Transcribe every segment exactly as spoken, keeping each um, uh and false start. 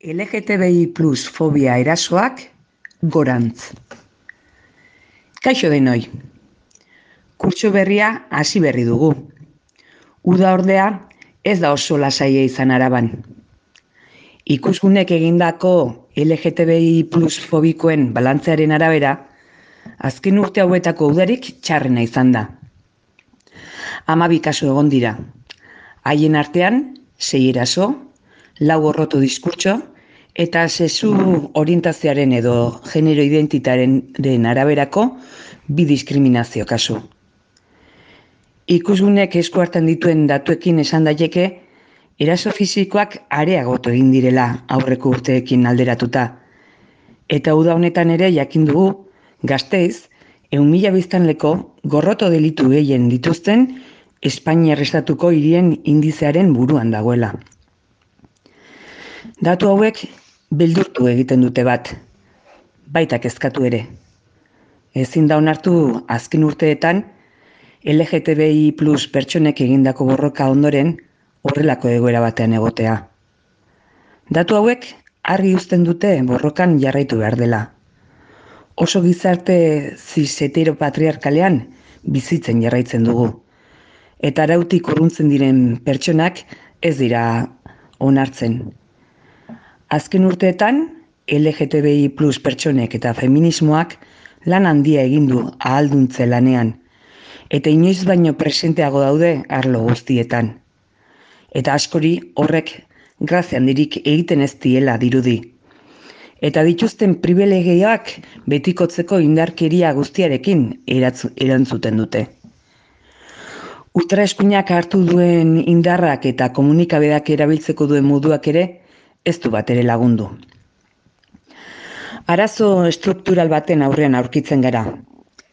L G T B I plus fobia erasoak gorantz. Kaixo denoi. Kurtso berria hasi berri dugu. Uda ordea ez da oso lasaia izan Araban. Ikusgunek egindako L G T B I plus fobikoen balantzearen arabera, azken urte hauetako udarik txarrena izan da. Hamabi kasu egon dira. Haien artean, sei eraso, lau gorroto eta sexu orientazioaren edo genero identitatearen araberako bi diskriminazio kasu. Ikusgunek esku hartan dituen datuekin esan daiteke, eraso fisikoak areagotu egin direla aurreko urteekin alderatuta. Eta uda honetan ere jakin dugu, Gasteiz, ehun mila biztanleko gorroto delitu gehien dituzten Espainiar estatuko hirien indizearen buruan dagoela. Datu hauek beldurtu egiten dute bat, baita kezkatu ere. Ezin da onartu azken urteetan L G T B I plus pertsonek egindako borroka ondoren horrelako egoera batean egotea. Datu hauek argi uzten dute borrokan jarraitu behar dela. Oso gizarte zis heteropatriarkalean bizitzen jarraitzen dugu. Eta arautik urruntzen diren pertsonak ez dira onartzen. Azken urteetan, L G T B I plus pertsonek eta feminismoak lan handia egin du ahalduntze lanean, eta inoiz baino presenteago daude arlo guztietan. Eta askori horrek grazia handirik egiten ez diela dirudi. Eta dituzten pribilegioak betikotzeko indarkeria guztiarekin erantzuten dute. Ultraeskuinak hartu duen indarrak eta komunikabideak erabiltzeko duen moduak ere ez du bat ere lagundu. Arazo estruktural baten aurrean aurkitzen gara,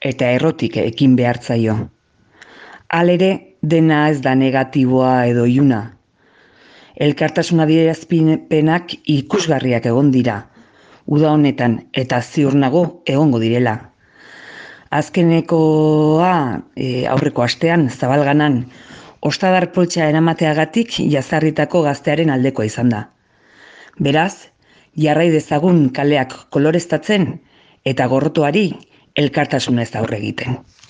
eta errotik ekin behartzaio. Halere, dena ez da negatiboa edo iluna. Elkartasun adierazpenak ikusgarriak egon dira, uda honetan eta ziur nago egongo direla. Azkenekoa e, aurreko astean, Zabalganan, ostadar poltsa eramateagatik jazarritako gaztearen aldekoa izan da. Beraz, jarrai dezagun kaleak koloreztatzen eta gorrotoari elkartasunez aurre egiten.